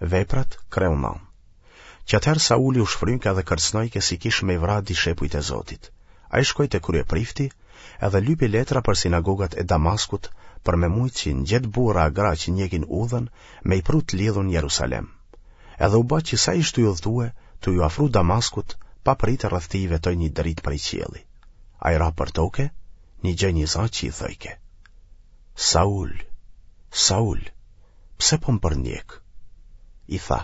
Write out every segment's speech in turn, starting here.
Veprat, kreu 9. Qatëherë Sauli u shfrynke edhe kërcnojke si kish me i vra dishepujt e Zotit. Ai shkoi te kryeprifti edhe lypi letra për sinagogat e Damaskut për me mujt që n'gjet burra a gra që njekin udhën me i pru të lidhun n'Jerusalem. Edhe u ba që sa ish tuj udhëtue, tuj u afru Damaskut, papritë rreth tij vetoi një dritë prej qielli. Ai ra për toke, nigjoi një za që i thojke. Saul, Saul, pse po më përndjek? I tha,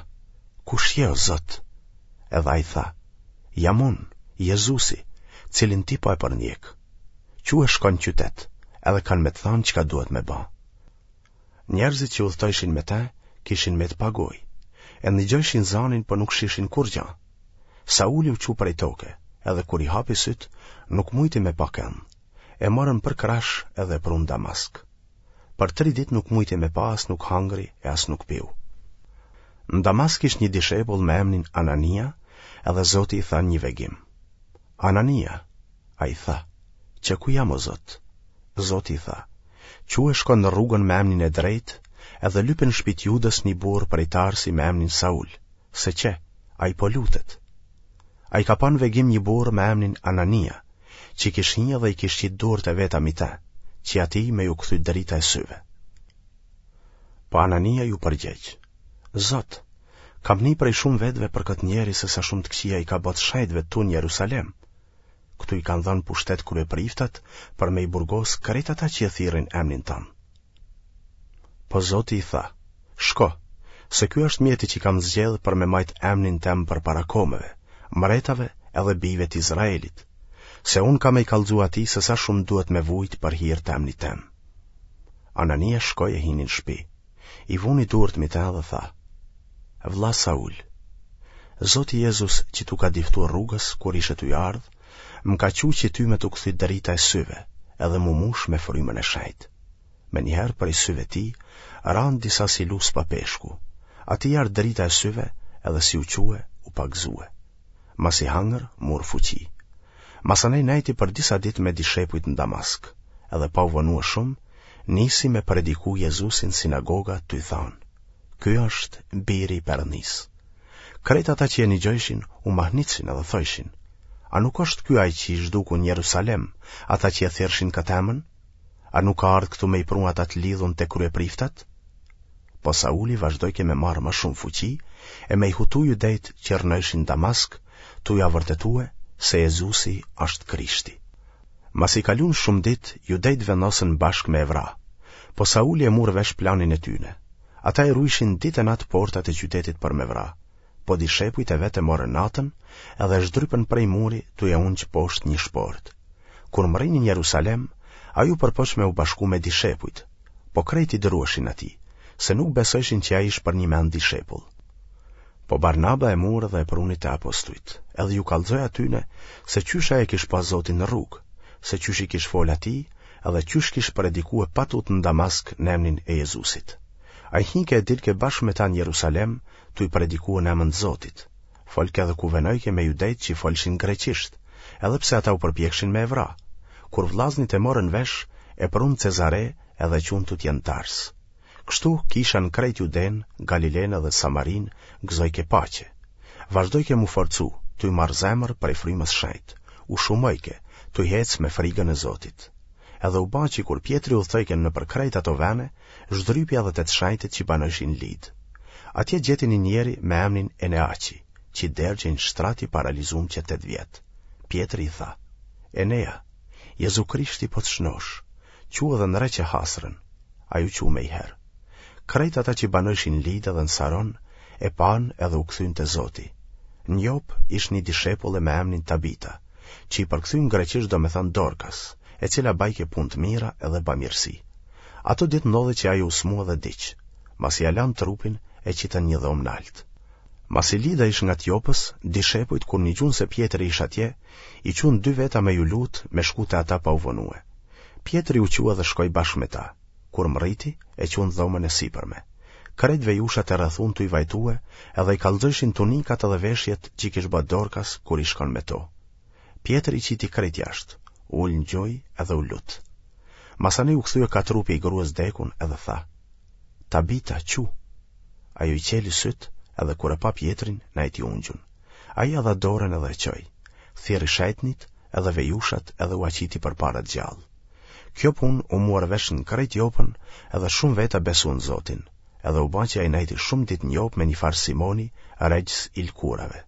kush je o Zot? Edhe ai tha, jam unë, Jezusi, cilin ti po e përndjek. Çu e shko në qytet, edhe kanë me të thanë çka duhet me ba. Njerëzit që udhëtojshin me te, kishin met pa gojë. E nigjojshin zanin, po nuk shishin kurgja. Sauli u çu prej toke, edhe kur i hapi sytë, nuk mujti me pa kend. E morën për krahësh edhe e prunë n'Damask. Për tri ditë nuk mujti me pa as nuk hangri e as nuk piu. Në Damask ish një dishepull me emnin Anania, edhe Zoti i tha n'një vegim. Anania, ai tha, qe ku jam o Zot? Zoti i tha, çu e shko në rrugën me emnin e drejtë, edhe lype në shpi t'Judës një burrë prej Tarsi me emnin Saul, se qe, ai po lutet. Ai ka pa në vegim një burrë me emnin Anania, që kish hi dhe i kish qitë durt e veta mi te, që atij me ju kthy drita e syve. Po Anania ju përgjegj, Zot, kam ni prej shumë vetëve për këtë njeri se sa shumë të këqija i ka bo të shejtëve tu në Jerusalem. Këtu i kanë dhënë pushtet kryepriftat për me i burgos krejt ata që e thirrin emnin tënd. Po Zoti i tha, shko, se ky është mjeti që kam zgjedhë për me majtë emnin tem përpara komeve, mretave edhe bijve të Izraelit, se unë kam me i kallxu atij se sa shumë duhet me vujt për hir të emnit tem. Anania shkoi e hini në shpi, i vuni durt mi te dhe tha, Vlla Saul, Zoti Jezus që t'u ka diftu rrugës kur ishe tuj ardhë, më ka çu që ty me t'u kthy drita e syve, edhe m'u mush me frymën e shejtë. Menjëherë prej syve tij, ranë disa si luspa peshku. Atij i ardh drita e syve edhe si u çue, u pagëzue. Masi hangër, mur fuqi. Masanej nejti për disa ditë me dishepujt në Damask, edhe pa u vonue shumë, nisi me prediku Jezusin n'sinagoga tuj thanë, Ky është biri i Perëndisë. Krejt ata që e nigjojshin, u mahnitshin edhe thojshin, A nuk është ky ai që i zhduku në Jerusalem, ata që e thirrshin këtë emën? A nuk ka ardhë këtu me i pru ata të lidhun te kryepriftat? Po Sauli vazhdojke me marrë më shumë fuqi e me i hutu judejt që rrnojshin n'Damask, tuj ja vërtetue se Jezusi është Krishti. Masi kalun shumë ditë, judejt vendosën bashkë me e vra. Po Sauli e mur vesh planin e tyne. Ata i rujshin ditë e natë portat e qytetit për me vra. Po dishepujt e vet e morën natën, edhe e zhdrypën prej muri tuj e ungj poshtë një shportë. Kur mrrini në Jerusalem, ai u përpoq me u bashku me dishepujt, po krejt i druheshin atij, se nuk besojshin që ai ish përnjëmend dishepull. Po Barnaba e mur dhe e pruni te apostujt, edhe ju kallxoi atyne se qysh ai e kish pa Zotin në rrugë, se qysh i kish folë atij, edhe qysh kish predikue pa tutë në Damask në emnin e Jezusit. Ai hinke e dilke bashkë me ta në Jerusalem, tuj predikue në emën të Zotit. Folke edhe kuvenojke me judejt që folshin greqisht, edhe pse ata u përpjekshin me e vra. Kur vllaznit e morën vesh, e prunë Cezare edhe e çunë tutje në Tars. Kështu, kisha në krejt Judenë, Galilenë dhe Samarinë gëzojke paqe. Vazhdojke m'u forcu, tuj marrë zemër prej frymës shenjtë, u shumojke, tuj ecë me frigën e Zotit. Edhe u ba që kur Pjetri udhëtojke nëpër krejt ato vene, zhdrypi edhe te të shenjtët që banojshin n'Lidë. Atje gjeti një njeri me emnin Eneaqi, që dergjej në shtrat i paralizum që 8 vjet. Pjetri i tha, Enea, Jezu Krishti po të shnosh, çu edhe ndreqe hasrën. Ai u çu menjëherë. Krejt ata që banojshin n'Lidë edhe në Saron, e panë edhe u kthyn te Zoti. Në Jopë ish një dishepulle me emnin Tabita, që i përkthym greqisht do me thënë Dorkas, e cila bajke punë të mira edhe bamirësi. Ato ditë ndodhi që ajo u smu edhe diq. Masi ia lanë trupin, e qitën n'një dhomë nalt. Masi Lida ish ngat Jopës, dishepujt kur nigjun se Pjetri ish atje, i çunë dy veta me ju lut me shku te ata pa u vonue. Pjetri u çu edhe shkoi bashkë me ta. Kur mrriti, e çunë n'dhomën e sipërme. Krejt vejushat e rrethun tuj vajtue edhe i kallxojshin tunikat edhe veshjet që i kish ba Dorkas kur ish kon me to. Pjetri i qiti krejt jashtë, u ul në gjunj edhe u lut. Masanej u kthye ka trupi i grues dekun edhe tha, Tabita, çu! Ajo i çeli sytë, edhe kur e pa Pjetrin, nejti ungjun. Ai ia dha dorën edhe e çoi. Thirri shejtnit edhe vejushat edhe ua qiti përpara të gjallë. Kjo punë u muar vesh në krejt Jopën edhe shumë veta besuan Zotin, edhe u ba që ai nejti shumë ditë në Jopë me një farë Simoni, regjës i lëkurave.